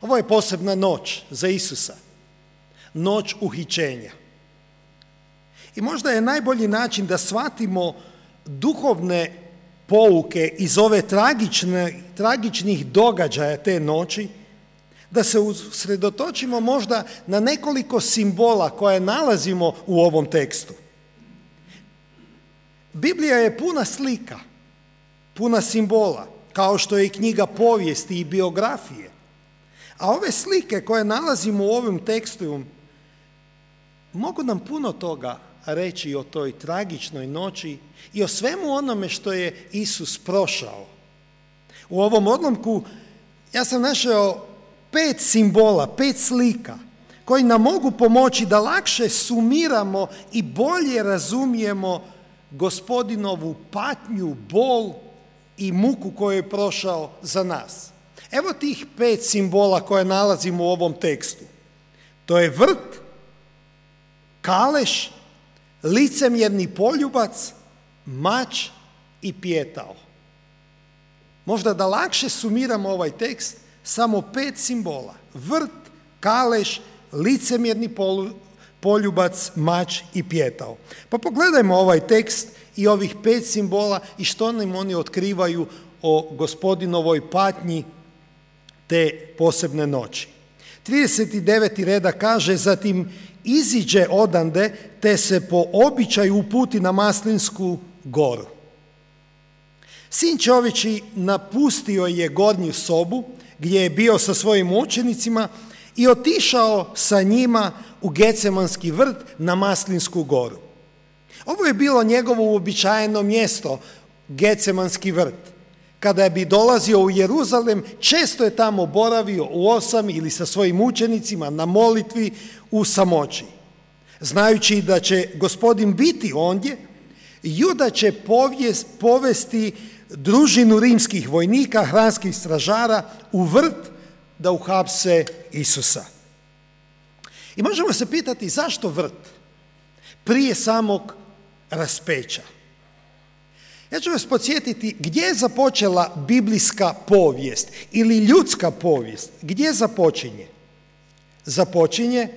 Ovo je posebna noć za Isusa, noć uhićenja. I možda je najbolji način da shvatimo duhovne pouke iz ove tragičnih događaja te noći, da se usredotočimo možda na nekoliko simbola koje nalazimo u ovom tekstu. Biblija je puna slika, puna simbola, kao što je i knjiga povijesti i biografije. A ove slike koje nalazimo u ovom tekstu mogu nam puno toga reći o toj tragičnoj noći i o svemu onome što je Isus prošao. U ovom odlomku ja sam našao 5 simbola, 5 slika koji nam mogu pomoći da lakše sumiramo i bolje razumijemo Gospodinovu patnju, bol i muku koju je prošao za nas. Evo tih 5 simbola koje nalazimo u ovom tekstu. To je vrt, kaleš, licemjerni poljubac, mač i pijetao. Možda da lakše sumiramo ovaj tekst, samo 5 simbola. Vrt, kaleš, licemjerni poljubac, mač i pijetao. Pa pogledajmo ovaj tekst i ovih 5 simbola i što nam oni otkrivaju o Gospodinovoj patnji te posebne noći. 39. redak kaže: zatim iziđe odande, te se po običaju uputi na Maslinsku goru. Sin čovječji napustio je gornju sobu gdje je bio sa svojim učenicima i otišao sa njima u Getsemanski vrt na Maslinsku goru. Ovo je bilo njegovo uobičajeno mjesto, Getsemanski vrt. Kada bi dolazio u Jeruzalem, često je tamo boravio u 8 ili sa svojim učenicima na molitvi u samoći. Znajući da će Gospodin biti ondje, Juda će povesti družinu rimskih vojnika, hranskih stražara u vrt da uhapse Isusa. I možemo se pitati zašto vrt prije samog raspeća. Ja ću vas podsjetiti gdje je započela biblijska povijest ili ljudska povijest. Gdje započinje? Započinje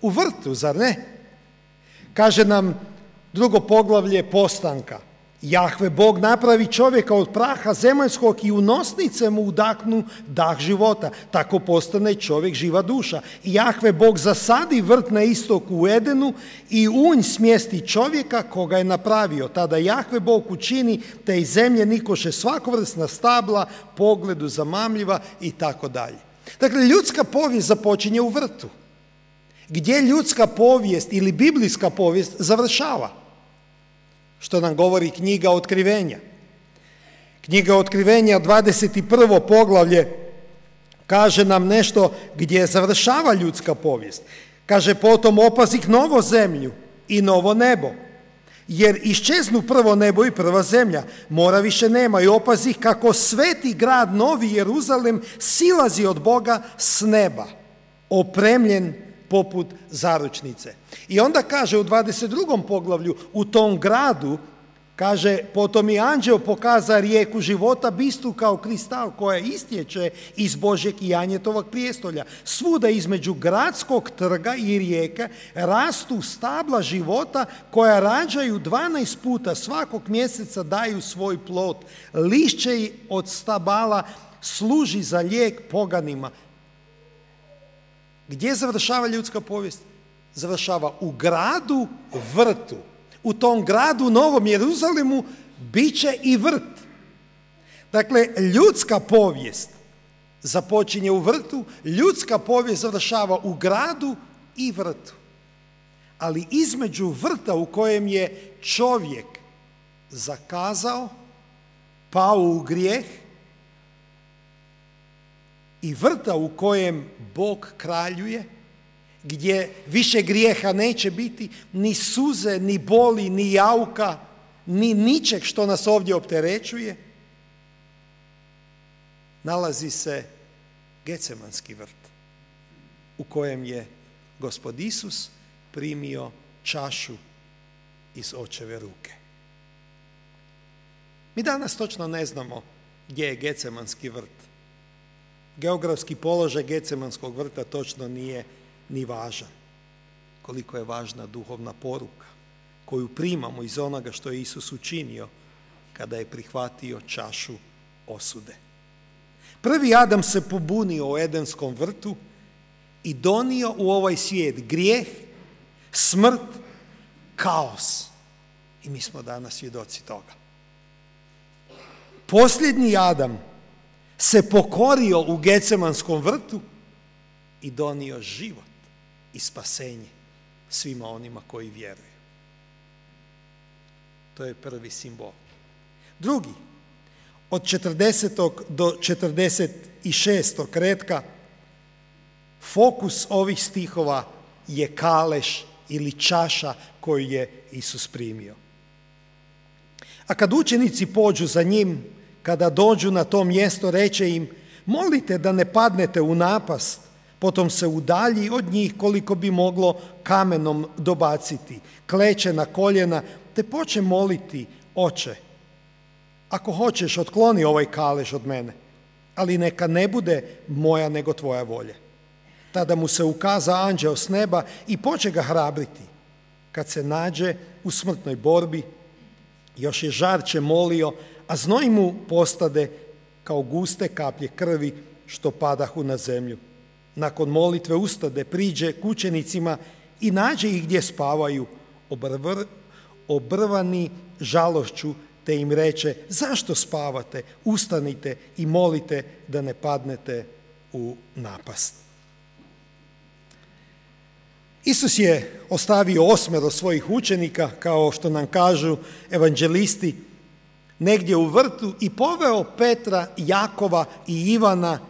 u vrtu, zar ne? Kaže nam 2. poglavlje Postanka: Jahve Bog napravi čovjeka od praha zemaljskog i u nosnice mu udahnu dah života. Tako postane čovjek živa duša. I Jahve Bog zasadi vrt na istoku u Edenu i u nj smjesti čovjeka koga je napravio. Tada Jahve Bog učini te iz zemlje nikoše svakovrsna stabla, pogledu zamamljiva i tako dalje. Dakle, ljudska povijest započinje u vrtu. Gdje ljudska povijest ili biblijska povijest završava? Što nam govori knjiga Otkrivenja. Knjiga Otkrivenja, 21. poglavlje, kaže nam nešto gdje završava ljudska povijest. Kaže: potom opazih novo zemlju i novo nebo, jer iščeznu prvo nebo i prva zemlja, mora više nema, i opazih kako sveti grad Novi Jeruzalem silazi od Boga s neba, opremljen poput zaručnice. I onda kaže u 22. poglavlju, u tom gradu, kaže: potom i anđeo pokaza rijeku života, bistru kao kristal, koja istječe iz Božjeg i Janjetovog prijestolja. Svuda između gradskog trga i rijeke rastu stabla života koja rađaju 12 puta, svakog mjeseca daju svoj plod. Lišće od stabala služi za lijek poganima. Gdje završava ljudska povijest? Završava u gradu vrtu. U tom gradu Novom Jeruzalemu bit će i vrt. Dakle, ljudska povijest započinje u vrtu, ljudska povijest završava u gradu i vrtu. Ali između vrta u kojem je čovjek zakazao, pao u grijeh, i vrta u kojem Bog kraljuje, gdje više grijeha neće biti, ni suze, ni boli, ni jauka, ni ničeg što nas ovdje opterećuje, nalazi se Getsemanski vrt u kojem je Gospod Isus primio čašu iz Očeve ruke. Mi danas točno ne znamo gdje je Getsemanski vrt, geografski položaj Getsemanskog vrta točno nije ni važan. Koliko je važna duhovna poruka koju primamo iz onoga što je Isus učinio kada je prihvatio čašu osude. Prvi Adam se pobunio u Edenskom vrtu i donio u ovaj svijet grijeh, smrt, kaos. I mi smo danas svjedoci toga. Posljednji Adam se pokorio u Getsemanskom vrtu i donio život i spasenje svima onima koji vjeruju. To je prvi simbol. Drugi, od 40. do 46. retka, fokus ovih stihova je kaleš ili čaša koju je Isus primio. A kad učenici pođu za njim, kada dođu na to mjesto, reče im: molite da ne padnete u napast. Potom se udalji od njih koliko bi moglo kamenom dobaciti, kleče na koljena te poče moliti: Oče, ako hoćeš, otkloni ovaj kalež od mene, ali neka ne bude moja nego tvoja volja. Tada mu se ukaza anđeo s neba i poče ga hrabriti. Kad se nađe u smrtnoj borbi, još je žarče molio, a znoj mu postade kao guste kaplje krvi što padahu na zemlju. Nakon molitve ustade, priđe k učenicima i nađe ih gdje spavaju, obrvani žalošću, te im reče: zašto spavate? Ustanite i molite da ne padnete u napast. Isus je ostavio 8 svojih učenika, kao što nam kažu evanđelisti, negdje u vrtu i poveo Petra, Jakova i Ivana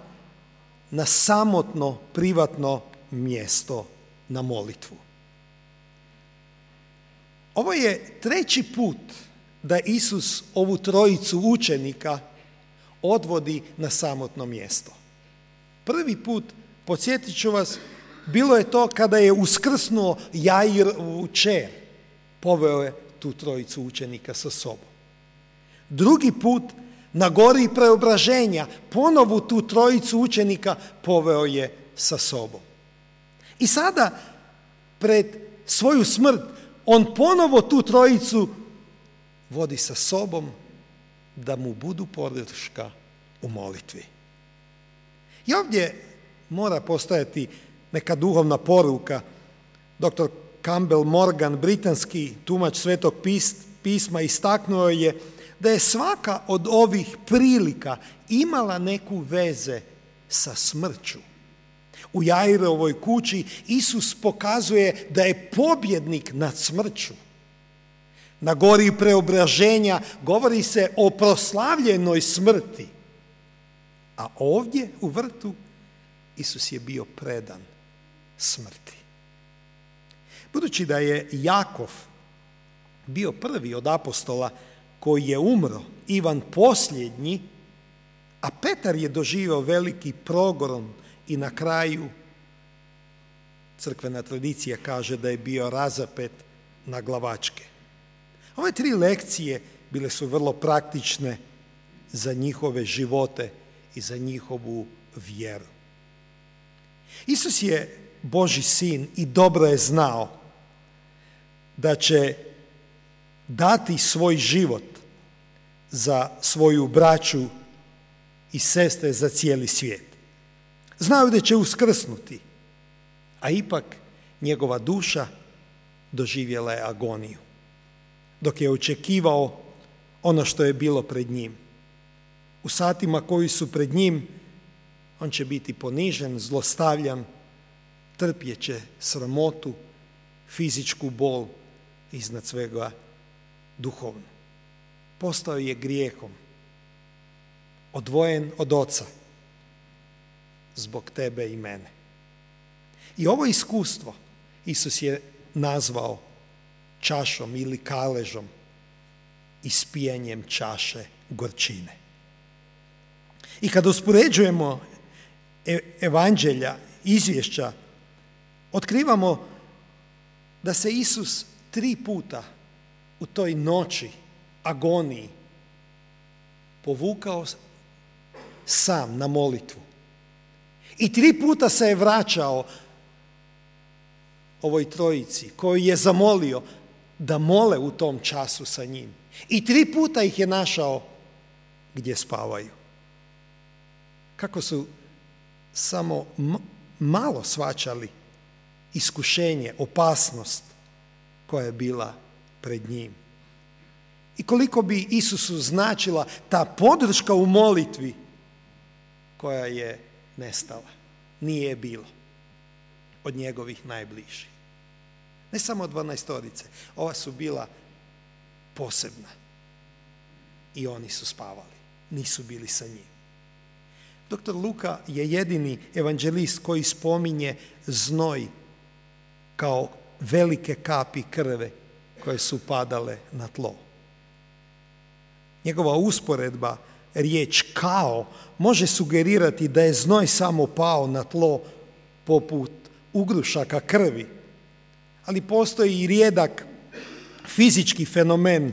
na samotno, privatno mjesto na molitvu. Ovo je 3. put da Isus ovu trojicu učenika odvodi na samotno mjesto. Prvi put, podsjetit ću vas, bilo je to kada je uskrsnuo Jairovu kćer, poveo je tu trojicu učenika sa sobom. Drugi put, na gori preobraženja, ponovo tu trojicu učenika poveo je sa sobom. I sada, pred svoju smrt, on ponovo tu trojicu vodi sa sobom da mu budu podrška u molitvi. I ovdje mora postojati neka duhovna poruka. Dr. Campbell Morgan, britanski tumač Svetog pisma, istaknuo je da je svaka od ovih prilika imala neku veze sa smrću. U Jairovoj kući Isus pokazuje da je pobjednik nad smrću. Na gori preobraženja govori se o proslavljenoj smrti. A ovdje u vrtu Isus je bio predan smrti. Budući da je Jakov bio prvi od apostola koji je umro, Ivan posljednji, a Petar je doživio veliki progon i na kraju crkvena tradicija kaže da je bio razapet na glavačke. Ove 3 lekcije bile su vrlo praktične za njihove živote i za njihovu vjeru. Isus je Božji sin i dobro je znao da će dati svoj život za svoju braću i sestre, za cijeli svijet. Znaju da će uskrsnuti, a ipak njegova duša doživjela je agoniju, dok je očekivao ono što je bilo pred njim. U satima koji su pred njim, on će biti ponižen, zlostavljan, trpjet će sramotu, fizičku bol, iznad svega duhovno. Postao je grijehom, odvojen od Oca, zbog tebe i mene. I ovo iskustvo Isus je nazvao čašom ili kaležom, ispijanjem čaše gorčine. I kada uspoređujemo evanđelja, izvješća, otkrivamo da se Isus 3 puta u toj noći, agoniji, povukao sam na molitvu I 3 puta se je vraćao ovoj trojici koju je zamolio da mole u tom času sa njim. I 3 puta ih je našao gdje spavaju. Kako su samo malo shvaćali iskušenje, opasnost koja je bila pred njim. I koliko bi Isusu značila ta podrška u molitvi koja je nestala. Nije je bilo od njegovih najbližih. Ne samo 12-torice, ova su bila posebna. I oni su spavali, nisu bili sa njim. Dr. Luka je jedini evanđelist koji spominje znoj kao velike kapi krve koje su padale na tlo. Njegova usporedba, riječ kao, može sugerirati da je znoj samo pao na tlo poput ugrušaka krvi, ali postoji i rijedak fizički fenomen,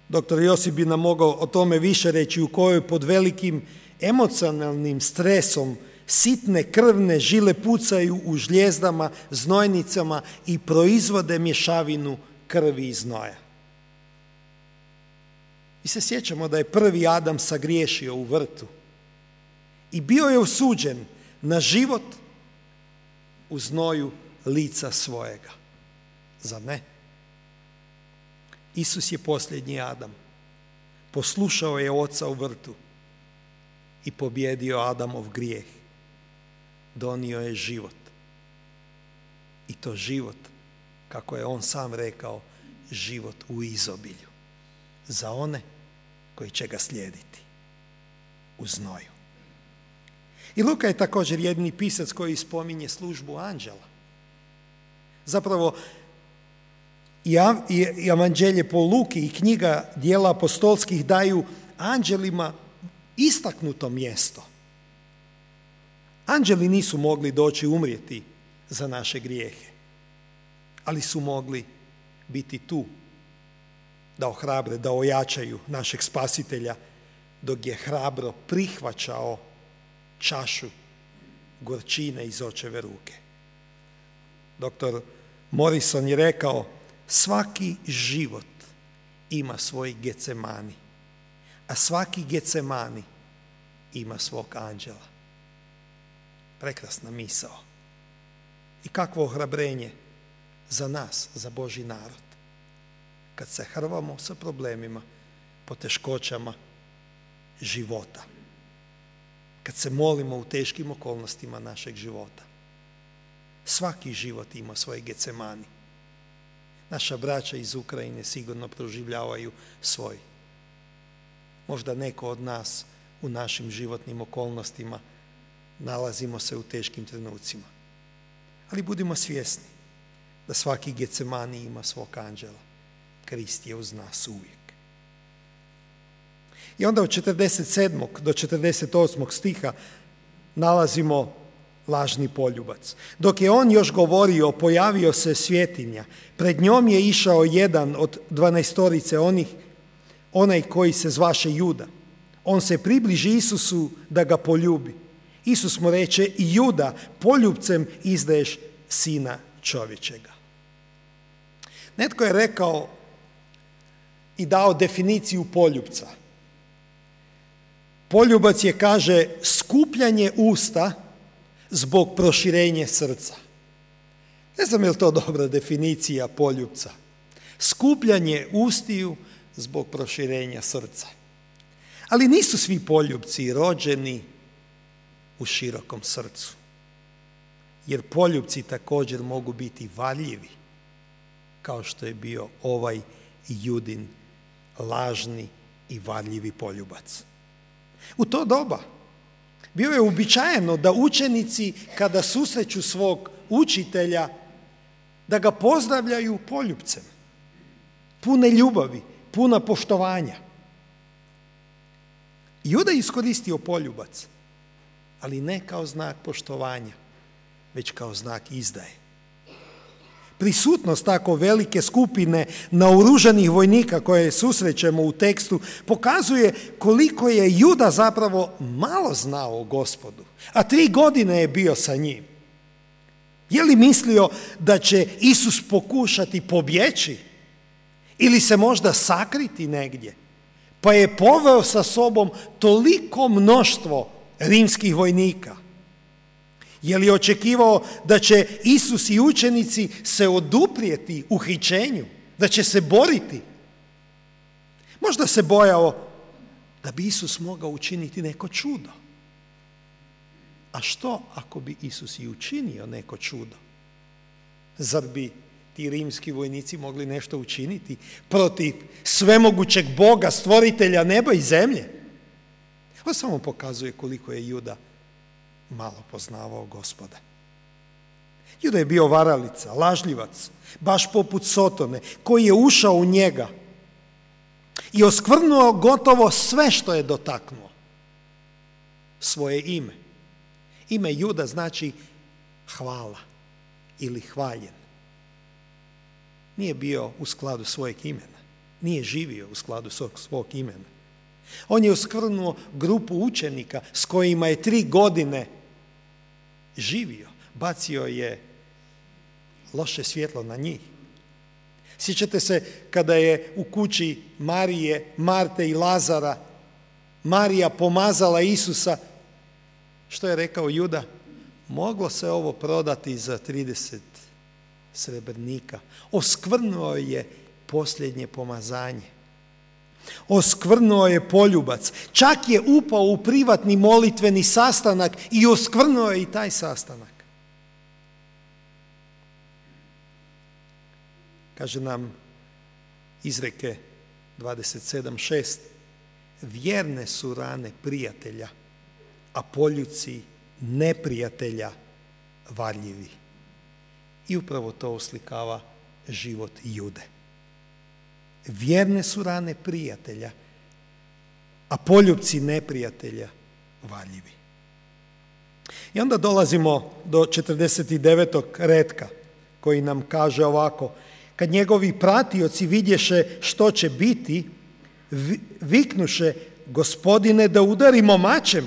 dr. Josip bi nam mogao o tome više reći, u kojoj pod velikim emocionalnim stresom sitne krvne žile pucaju u žljezdama, znojnicama i proizvode mješavinu krvi i znoja. Mi se sjećamo da je prvi Adam sagriješio u vrtu i bio je osuđen na život u znoju lica svojega. Zar ne? Isus je posljednji Adam. Poslušao je Oca u vrtu i pobjedio Adamov grijeh. Donio je život. I to život, kako je on sam rekao, život u izobilju. Za one koji će ga slijediti u znoju. I Luka je također jedini pisac koji spominje službu anđela. Zapravo, i Evanđelje po Luki i knjiga Djela apostolskih daju anđelima istaknuto mjesto. Anđeli nisu mogli doći umrijeti za naše grijehe, ali su mogli biti tu da ohrabre, da ojačaju našeg spasitelja dok je hrabro prihvaćao čašu gorčine iz očeve ruke. Dr. Morrison je rekao, svaki život ima svoj Getsemani, a svaki Getsemani ima svog anđela. Prekrasna misao. I kakvo ohrabrenje za nas, za Božji narod. Kad se hrvamo sa problemima, poteškoćama života. Kad se molimo u teškim okolnostima našeg života. Svaki život ima svoj Getsemani. Naša braća iz Ukrajine sigurno proživljavaju svoj. Možda neko od nas u našim životnim okolnostima nalazimo se u teškim trenucima. Ali budimo svjesni da svaki Getsemani ima svog anđela. Krist je uz nas uvijek. I onda od 47. do 48. stiha nalazimo lažni poljubac. Dok je on još govorio, pojavio se svjetinja. Pred njom je išao jedan od 12-torice onaj koji se zvaše Juda. On se približi Isusu da ga poljubi. Isus mu reče, i Juda, poljubcem izdaješ sina čovječega. Netko je rekao i dao definiciju poljubca. Poljubac je, kaže, skupljanje usta zbog proširenja srca. Ne znam je li to dobra definicija poljubca. Skupljanje ustiju zbog proširenja srca. Ali nisu svi poljubci rođeni u širokom srcu. Jer poljubci također mogu biti varljivi, kao što je bio ovaj Judin lažni i varljivi poljubac. U to doba bio je uobičajeno da učenici kada susreću svog učitelja da ga pozdravljaju poljubcem, pune ljubavi, puna poštovanja. Juda je iskoristio poljubac, ali ne kao znak poštovanja, već kao znak izdaje. Prisutnost tako velike skupine naoružanih vojnika koje susrećemo u tekstu pokazuje koliko je Juda zapravo malo znao o Gospodu, a 3 godine je bio sa njim. Je li mislio da će Isus pokušati pobjeći ili se možda sakriti negdje, pa je poveo sa sobom toliko mnoštvo rimskih vojnika? Je li očekivao da će Isus i učenici se oduprijeti uhićenju, da će se boriti? Možda se bojao da bi Isus mogao učiniti neko čudo. A što ako bi Isus i učinio neko čudo? Zar bi ti rimski vojnici mogli nešto učiniti protiv svemogućeg Boga, stvoritelja neba i zemlje? Ovo samo pokazuje koliko je Juda malo poznavao Gospoda. Juda je bio varalica, lažljivac, baš poput Sotone, koji je ušao u njega i oskvrnuo gotovo sve što je dotaknuo. Svoje ime. Ime Juda znači hvala ili hvaljen. Nije bio u skladu svojeg imena. Nije živio u skladu svog imena. On je oskvrnuo grupu učenika s kojima je 3 godine živio. Bacio je loše svjetlo na njih. Sjećate se kada je u kući Marije, Marte i Lazara Marija pomazala Isusa, što je rekao Juda? Moglo se ovo prodati za 30 srebrnika. Oskvrnuo je posljednje pomazanje. Oskvrnuo je poljubac. Čak je upao u privatni molitveni sastanak i oskvrnuo je i taj sastanak. Kaže nam Izreke 27:6, vjerne su rane prijatelja, a poljuci neprijatelja varljivi. I upravo to oslikava život Jude. Vjerne su rane prijatelja, a poljupci neprijatelja varljivi. I onda dolazimo do 49. retka koji nam kaže ovako: kad njegovi pratioci vidješe što će biti, viknuše: Gospodine, da udarimo mačem.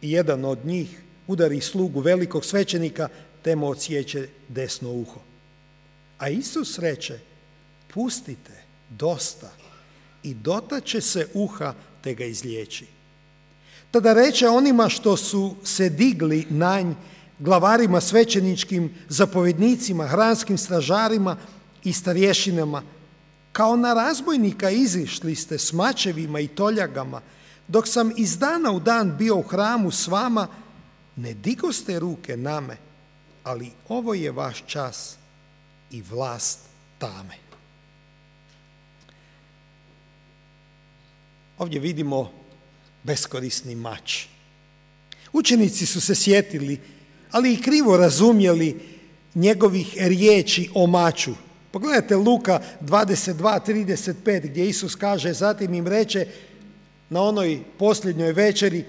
I jedan od njih udari slugu velikog svećenika, te mu odsjeće desno uho. A Isus reče: pustite, dosta, i dotače se uha, te ga izliječi. Tada reče onima što su se digli na nj, glavarima svećeničkim, zapovjednicima, hranskim stražarima i starješinama: kao na razbojnika izišli ste s mačevima i toljagama, dok sam iz dana u dan bio u hramu s vama, ne digoste ruke na me, ali ovo je vaš čas i vlast tame. Ovdje vidimo beskorisni mač. Učenici su se sjetili, ali i krivo razumjeli njegovih riječi o maču. Pogledajte Luka 22:35 gdje Isus kaže: zatim im reče na onoj posljednjoj večeri: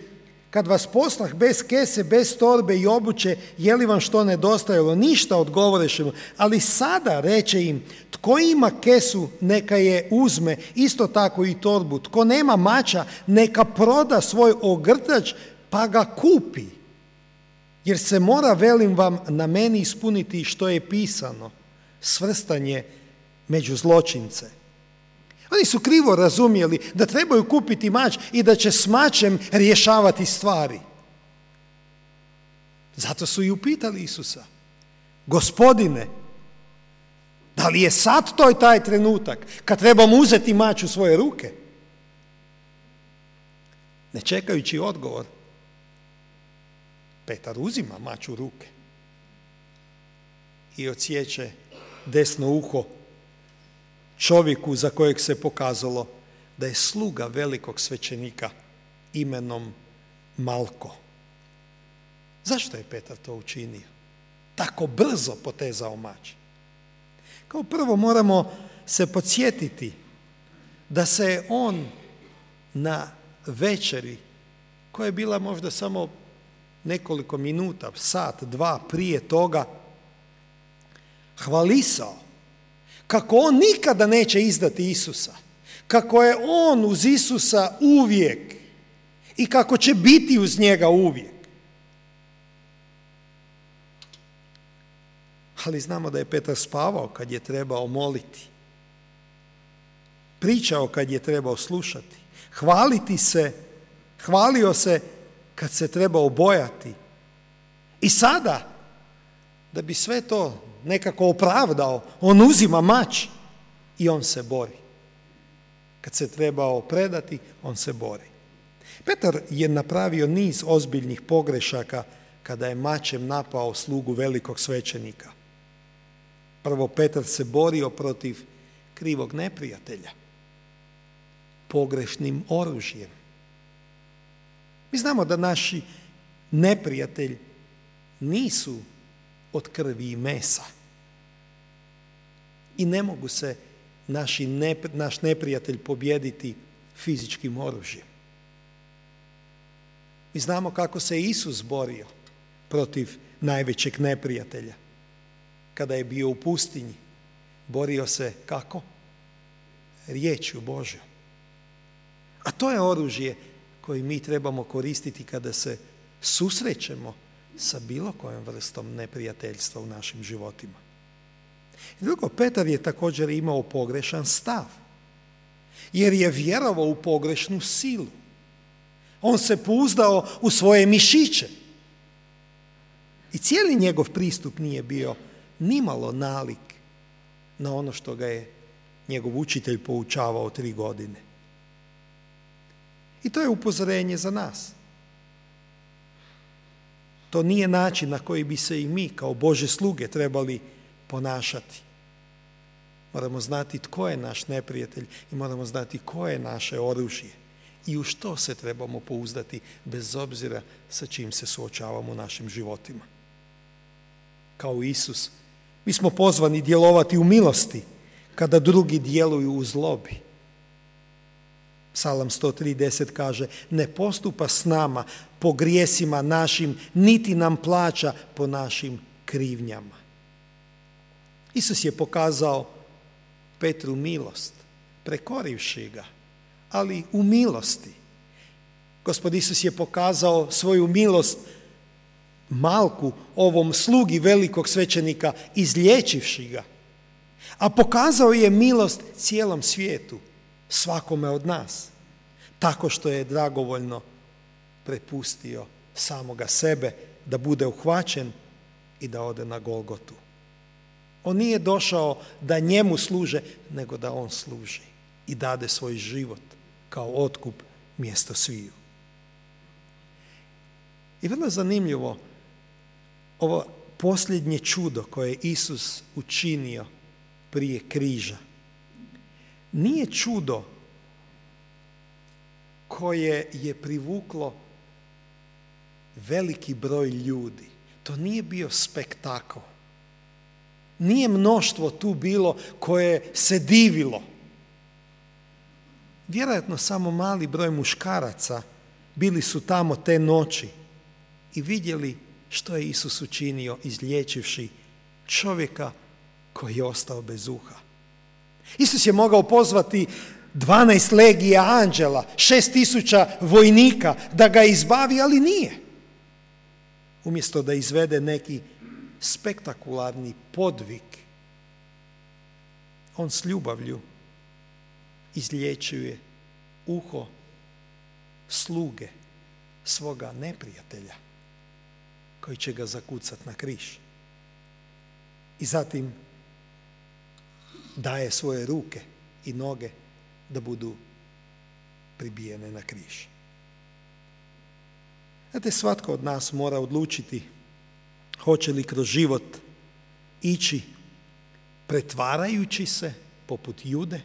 kad vas poslah bez kese, bez torbe i obuće, je li vam što nedostajalo? Ništa, odgovoreše mu. Ali sada, reče im, tko ima kesu, neka je uzme, isto tako i torbu. Tko nema mača, neka proda svoj ogrtač pa ga kupi. Jer se mora, velim vam, na meni ispuniti što je pisano, svrstan je među zločince. Oni su krivo razumjeli da trebaju kupiti mač i da će s mačem rješavati stvari. Zato su i upitali Isusa: Gospodine, da li je sad to taj trenutak kad trebamo uzeti mač u svoje ruke? Ne čekajući odgovor, Petar uzima mač u ruke i odsječe desno uho čovjeku za kojeg se pokazalo da je sluga velikog svećenika imenom Malko. Zašto je Petar to učinio? Tako brzo potezao mač. Kao prvo moramo se podsjetiti da se je on na večeri, koja je bila možda samo nekoliko minuta, sat, dva prije toga, hvalisao, kako on nikada neće izdati Isusa, kako je on uz Isusa uvijek i kako će biti uz njega uvijek. Ali znamo da je Petar spavao kad je trebao moliti, pričao kad je trebao slušati, hvalio se kad se trebao bojati. I sada, da bi sve to nekako opravdao, on uzima mač i on se bori. Kad se trebao predati, on se bori. Petar je napravio niz ozbiljnih pogrešaka kada je mačem napao slugu velikog svećenika. Prvo, Petar se borio protiv krivog neprijatelja, pogrešnim oružjem. Mi znamo da naši neprijatelji nisu od krvi i mesa. I ne mogu se naš neprijatelj pobijediti fizičkim oružjem. Mi znamo kako se Isus borio protiv najvećeg neprijatelja. Kada je bio u pustinji, borio se kako? Riječju Božjom. A to je oružje koje mi trebamo koristiti kada se susrećemo sa bilo kojom vrstom neprijateljstva u našim životima. I drugo, Petar je također imao pogrešan stav, jer je vjerovao u pogrešnu silu. On se pouzdao u svoje mišiće. I cijeli njegov pristup nije bio nimalo nalik na ono što ga je njegov učitelj poučavao 3 godine. I to je upozorenje za nas. To nije način na koji bi se i mi kao Božje sluge trebali ponašati. Moramo znati tko je naš neprijatelj i moramo znati koje je naše oružje i u što se trebamo pouzdati bez obzira sa čim se suočavamo u našim životima. Kao Isus, mi smo pozvani djelovati u milosti kada drugi djeluju u zlobi. Psalam 103:10 kaže: ne postupa s nama po grijesima našim, niti nam plaća po našim krivnjama. Isus je pokazao Petru milost, prekorivši ga, ali u milosti. Gospod Isus je pokazao svoju milost Malku, ovom slugi velikog svećenika, izliječivši ga. A pokazao je milost cijelom svijetu, svakome od nas, tako što je dragovoljno prepustio samoga sebe da bude uhvaćen i da ode na Golgotu. On nije došao da njemu služe, nego da on služi i dade svoj život kao otkup mjesto sviju. I vrlo zanimljivo, ovo posljednje čudo koje je Isus učinio prije križa nije čudo koje je privuklo veliki broj ljudi. To nije bio spektakl. Nije mnoštvo tu bilo koje se divilo. Vjerojatno samo mali broj muškaraca bili su tamo te noći i vidjeli što je Isus učinio izliječivši čovjeka koji je ostao bez uha. Isus je mogao pozvati 12 legija anđela, 6.000 vojnika da ga izbavi, ali nije. Umjesto da izvede neki spektakularni podvig, on s ljubavlju izliječuje uho sluge svoga neprijatelja koji će ga zakucati na križ. I zatim daje svoje ruke i noge da budu pribijene na križ. Znate, svatko od nas mora odlučiti hoće li kroz život ići pretvarajući se poput Jude,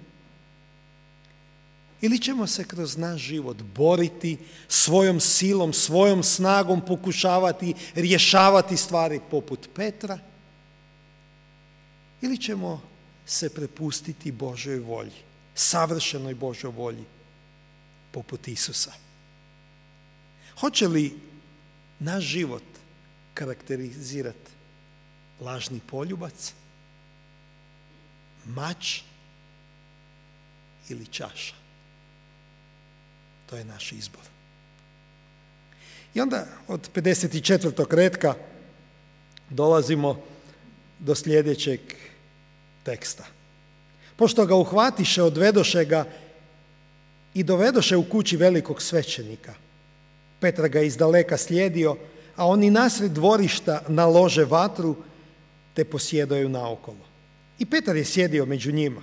ili ćemo se kroz naš život boriti svojom silom, svojom snagom, pokušavati rješavati stvari poput Petra, ili ćemo se prepustiti Božoj volji, savršenoj Božoj volji poput Isusa. Hoće li naš život karakterizirati lažni poljubac mač ili čaša. To je naš izbor. I onda od 54. retka dolazimo do sljedećeg teksta. Pošto ga uhvatiše, odvedoše ga i dovedoše u kući velikog svećenika. Petar ga izdaleka slijedio, a oni nasred dvorišta nalože vatru, te posjedaju naokolo. I Petar je sjedio među njima.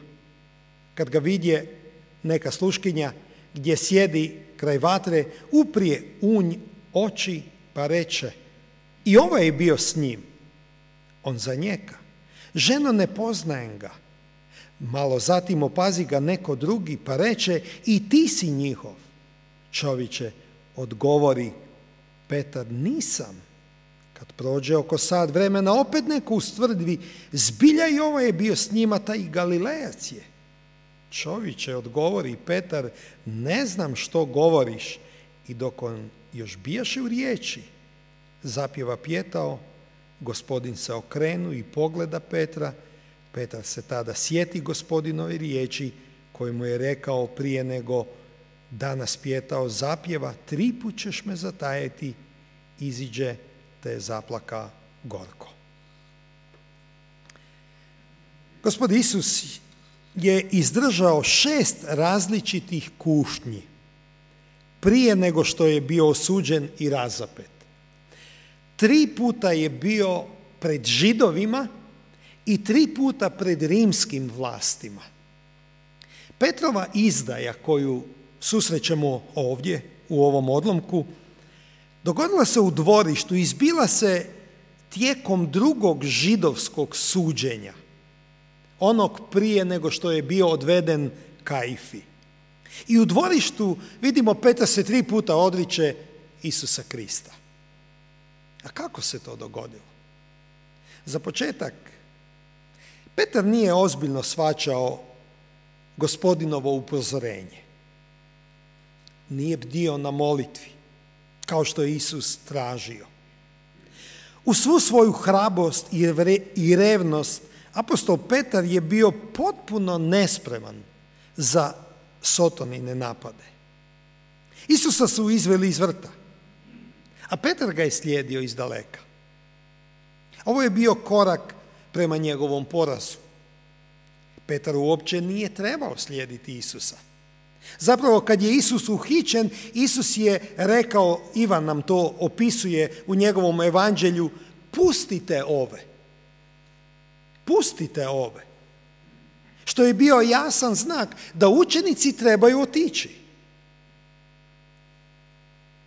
Kad ga vidje neka sluškinja gdje sjedi kraj vatre, uprije unj oči pa reče, i ovaj je bio s njim. On zanjeka, ženo, ne poznajem ga. Malo zatim opazi ga neko drugi pa reče, i ti si njihov. Čovječe, odgovori Petar, nisam. Kad prođe oko sat vremena, opet neko ustvrdi, zbilja i ovaj je bio s njima, taj Galilejac je. Čovječe, odgovori Petar, ne znam što govoriš. I dok on još bijaše u riječi, zapjeva pjetao, Gospodin se okrenu i pogleda Petra. Petar se tada sjeti Gospodinove riječi koje mu je rekao prije nego danas pjetao, zapjeva, 3 put ćeš me zatajiti, iziđe te zaplaka gorko. Gospod Isus je izdržao 6 različitih kušnji prije nego što je bio osuđen i razapet. 3 puta je bio pred Židovima i 3 puta pred rimskim vlastima. Petrova izdaja koju susrećemo ovdje u ovom odlomku dogodila se u dvorištu, izbila se tijekom drugog židovskog suđenja, onog prije nego što je bio odveden Kajfi. I u dvorištu vidimo Petar se 3 puta odriče Isusa Krista. A kako se to dogodilo? Za početak, Petar nije ozbiljno shvaćao Gospodinovo upozorenje. Nije bdio na molitvi, kao što je Isus tražio. U svu svoju hrabrost i revnost apostol Petar je bio potpuno nespreman za Sotonine napade. Isusa su izveli iz vrta, a Petar ga je slijedio izdaleka. Ovo je bio korak prema njegovom porazu. Petar uopće nije trebao slijediti Isusa. Zapravo, kad je Isus uhićen, Isus je rekao, Ivan nam to opisuje u njegovom evanđelju, pustite ove. Pustite ove. Što je bio jasan znak da učenici trebaju otići.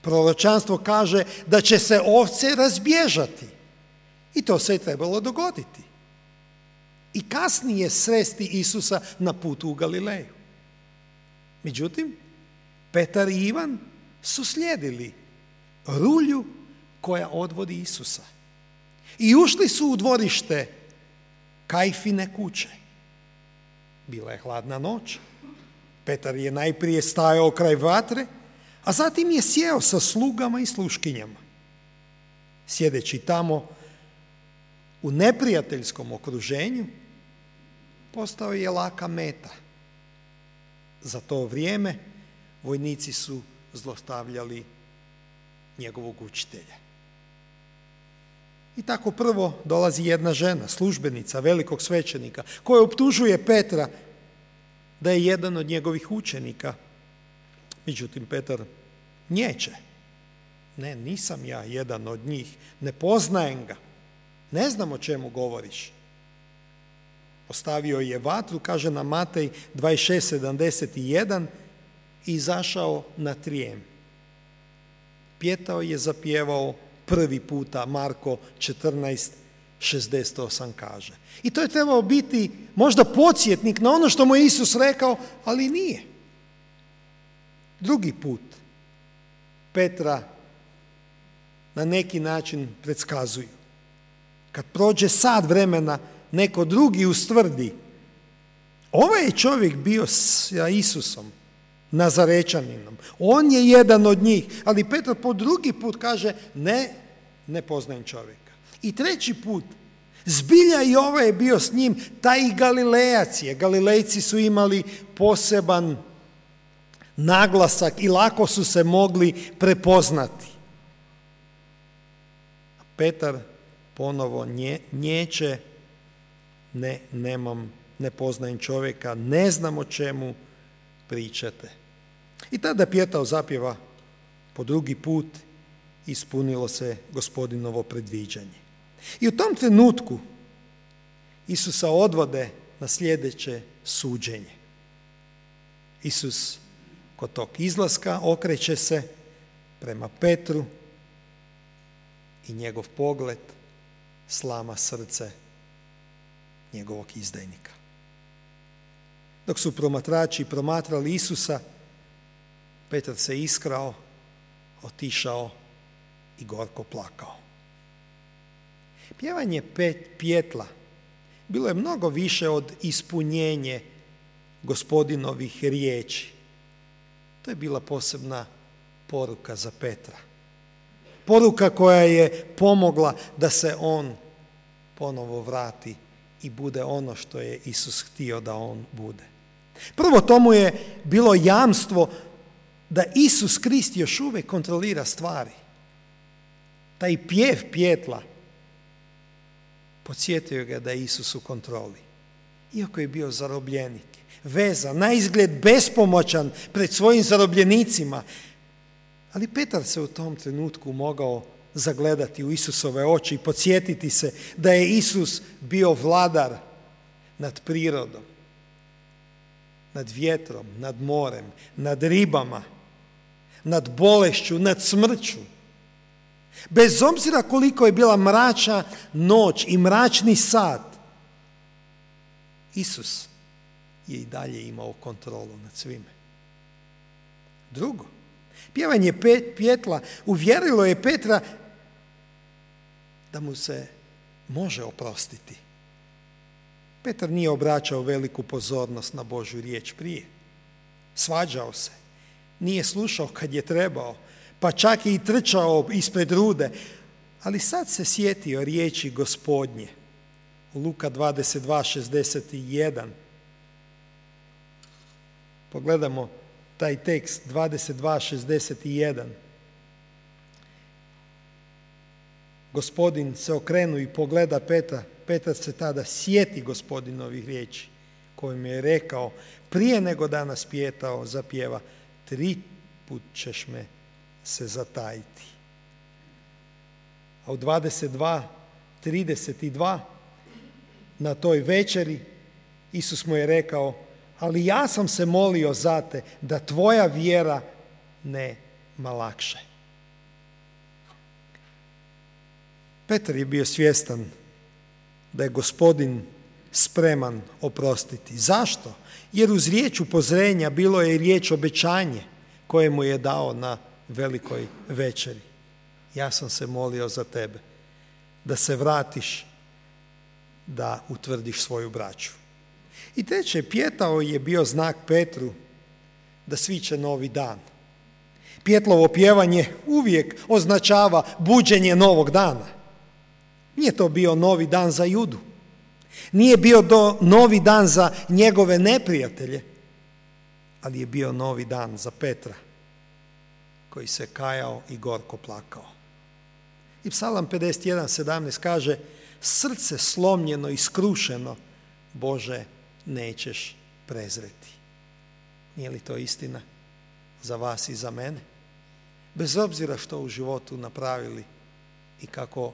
Proročanstvo kaže da će se ovce razbježati. I to se je trebalo dogoditi. I kasnije sresti Isusa na putu u Galileju. Međutim, Petar i Ivan su slijedili rulju koja odvodi Isusa. I ušli su u dvorište Kajfine kuće. Bila je hladna noć. Petar je najprije stajao kraj vatre, a zatim je sjeo sa slugama i sluškinjama. Sjedeći tamo u neprijateljskom okruženju, postao je laka meta. Za to vrijeme vojnici su zlostavljali njegovog učitelja. I tako prvo dolazi jedna žena, službenica velikog svećenika, koja optužuje Petra da je jedan od njegovih učenika. Međutim, Petar nječe. Ne, nisam ja jedan od njih, ne poznajem ga, ne znam o čemu govoriš. Ostavio je vatru, kaže na Matej 26:71, i izašao na trijem. Pjetao je zapjevao prvi puta, Marko 14:68 kaže. I to je trebao biti možda podsjetnik na ono što mu je Isus rekao, ali nije. Drugi put Petra na neki način predskazuju. Kad prođe sat vremena, neko drugi ustvrdi, ovaj je čovjek bio sa Isusom, Nazarečaninom. On je jedan od njih, ali Petar po drugi put kaže, ne poznajem čovjeka. I treći put, Zbilja i ovo je bio s njim, taj i Galilejac je. Galilejci su imali poseban naglasak i lako su se mogli prepoznati. Petar ponovo nječe, ne poznajem čovjeka, ne znam o čemu pričate. I tada Pjetao zapjeva po drugi put, ispunilo se Gospodinovo predviđanje. I u tom trenutku Isusa odvode na sljedeće suđenje. Isus kod tog izlaska okreće se prema Petru i njegov pogled slama srce njegovog izdajnika. Dok su promatrači promatrali Isusa, Petar se iskrao, otišao i gorko plakao. Pjevanje pjetla bilo je mnogo više od ispunjenje Gospodinovih riječi. To je bila posebna poruka za Petra. Poruka koja je pomogla da se on ponovo vrati i bude ono što je Isus htio da on bude. Prvo, tomu je bilo jamstvo da Isus Krist još uvijek kontrolira stvari. Taj pjev pjetla podsjetio ga da je Isus u kontroli. Iako je bio zarobljenik, vezan, na izgled bespomoćan pred svojim zarobljenicima, ali Petar se u tom trenutku mogao zagledati u Isusove oči i podsjetiti se da je Isus bio vladar nad prirodom, nad vjetrom, nad morem, nad ribama, nad bolešću, nad smrću. Bez obzira koliko je bila mračna noć i mračni sat, Isus je i dalje imao kontrolu nad svime. Drugo, pjevanje pjetla uvjerilo je Petra da mu se može oprostiti. Petar nije obraćao veliku pozornost na Božju riječ prije. Svađao se, nije slušao kad je trebao, pa čak i trčao ispred rude, ali sad se sjetio riječi Gospodnje. U Luka 22:61. Pogledamo taj tekst 22:61. Gospodin se okrenu i pogleda Petra. Petar se tada sjeti Gospodinovih riječi kojim je rekao, prije nego danas Pjetao zapjeva, 3 put ćeš me se zatajiti. A u 22:32 na toj večeri Isus mu je rekao, ali ja sam se molio za te da tvoja vjera ne malakše. Petar je bio svjestan da je Gospodin spreman oprostiti. Zašto? Jer uz riječ upozorenja bilo je i riječ obećanje koje mu je dao na velikoj večeri. Ja sam se molio za tebe da se vratiš, da utvrdiš svoju braću. I treće, Pjetao je bio znak Petru da sviće novi dan. Pjetlovo pjevanje uvijek označava buđenje novog dana. Nije to bio novi dan za Judu. Nije bio novi dan za njegove neprijatelje, ali je bio novi dan za Petra, koji se kajao i gorko plakao. I Psalam 51:17 kaže, srce slomljeno i skrušeno, Bože, nećeš prezreti. Nije li to istina za vas i za mene? Bez obzira što u životu napravili i kako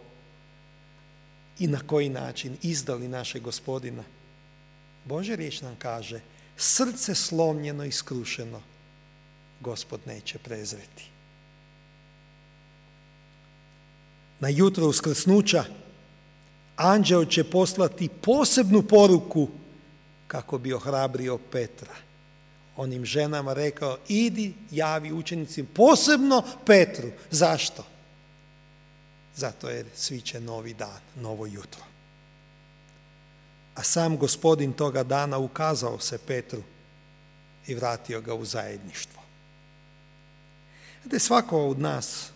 i na koji način izdali našeg Gospodina, Božja riječ nam kaže, srce slomljeno i skrušeno, Gospod neće prezreti. Na jutro uskrsnuća anđeo će poslati posebnu poruku kako bi ohrabrio Petra. Onim ženama rekao, idi javi učenicima, posebno Petru. Zašto? Zato jer sviće novi dan, novo jutro. A sam Gospodin toga dana ukazao se Petru i vratio ga u zajedništvo. Svako od nas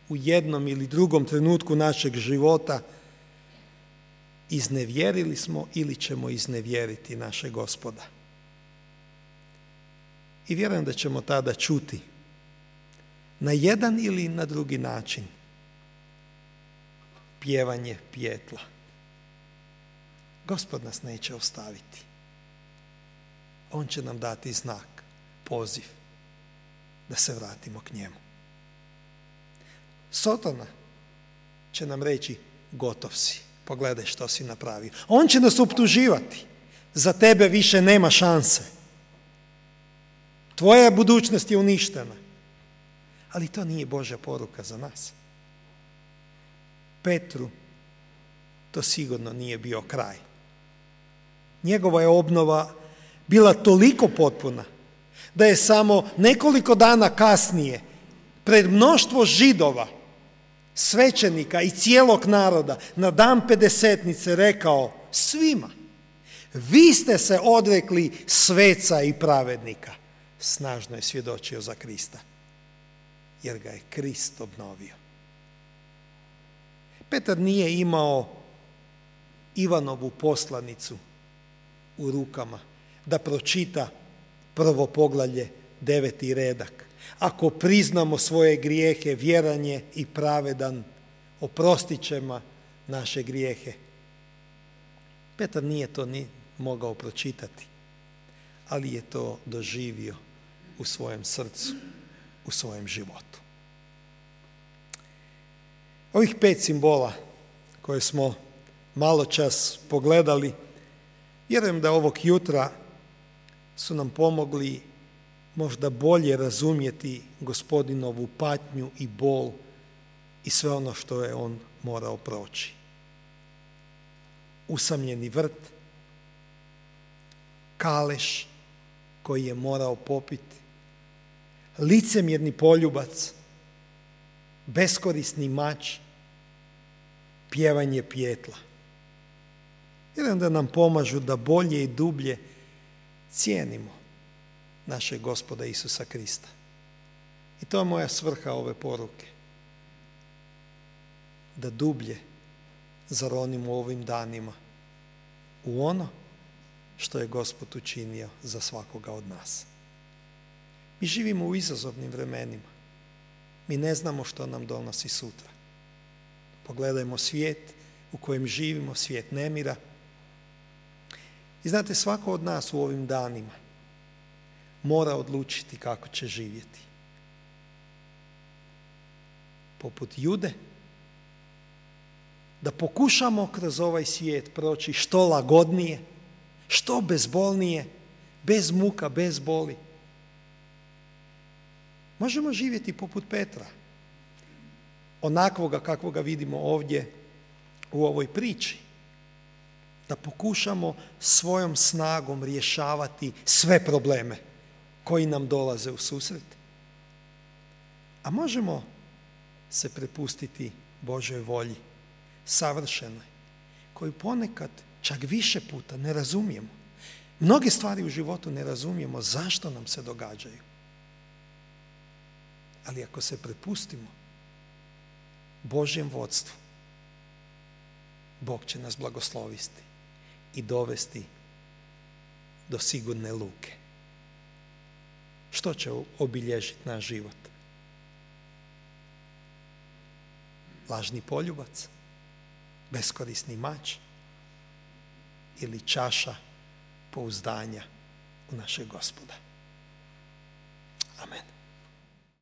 u jednom ili drugom trenutku našeg života iznevjerili smo ili ćemo iznevjeriti našeg Gospoda. I vjerujem da ćemo tada čuti na jedan ili na drugi način pjevanje pijetla. Gospod nas neće ostaviti. On će nam dati znak, poziv da se vratimo k njemu. Sotona će nam reći gotov si, pogledaj što si napravio. On će nas optuživati, za tebe više nema šanse. Tvoja budućnost je uništena. Ali to nije Božja poruka za nas. Petru to sigurno nije bio kraj. Njegova je obnova bila toliko potpuna da je samo nekoliko dana kasnije pred mnoštvo Židova, svećenika i cijelog naroda na dan Pedesetnice rekao svima: vi ste se odrekli sveca i pravednika. Snažno je svjedočio za Krista, jer ga je Krist obnovio. Petar nije imao Ivanovu poslanicu u rukama da pročita prvo poglavlje 9. redak. Ako priznamo svoje grijehe, vjeran je i pravedan, oprostit će naše grijehe. Petar nije to ni mogao pročitati, ali je to doživio u svojem srcu, u svojem životu. Ovih 5 simbola koje smo malo čas pogledali, vjerujem da ovog jutra su nam pomogli možda bolje razumjeti Gospodinovu patnju i bol i sve ono što je on morao proći. Usamljeni vrt, kaleš koji je morao popiti, licemjerni poljubac, beskorisni mač, pjevanje pijetla. Vjerujem da nam pomažu da bolje i dublje cijenimo našeg Gospoda Isusa Krista. I to je moja svrha ove poruke. Da dublje zaronimo u ovim danima u ono što je Gospod učinio za svakoga od nas. Mi živimo u izazovnim vremenima. Mi ne znamo što nam donosi sutra. Pogledajmo svijet u kojem živimo, svijet nemira. I znate, svako od nas u ovim danima mora odlučiti kako će živjeti. Poput Jude, da pokušamo kroz ovaj svijet proći što lagodnije, što bezbolnije, bez muka, bez boli. Možemo živjeti poput Petra, onakvoga kakvoga vidimo ovdje u ovoj priči, da pokušamo svojom snagom rješavati sve probleme koji nam dolaze u susret. A možemo se prepustiti Božoj volji, savršenoj, koju ponekad čak više puta ne razumijemo. Mnoge stvari u životu ne razumijemo zašto nam se događaju. Ali ako se prepustimo Božjem vodstvu, Bog će nas blagosloviti i dovesti do sigurne luke. Što će obilježiti naš život? Lažni poljubac, beskorisni mač ili čaša pouzdanja u našeg Gospoda. Amen.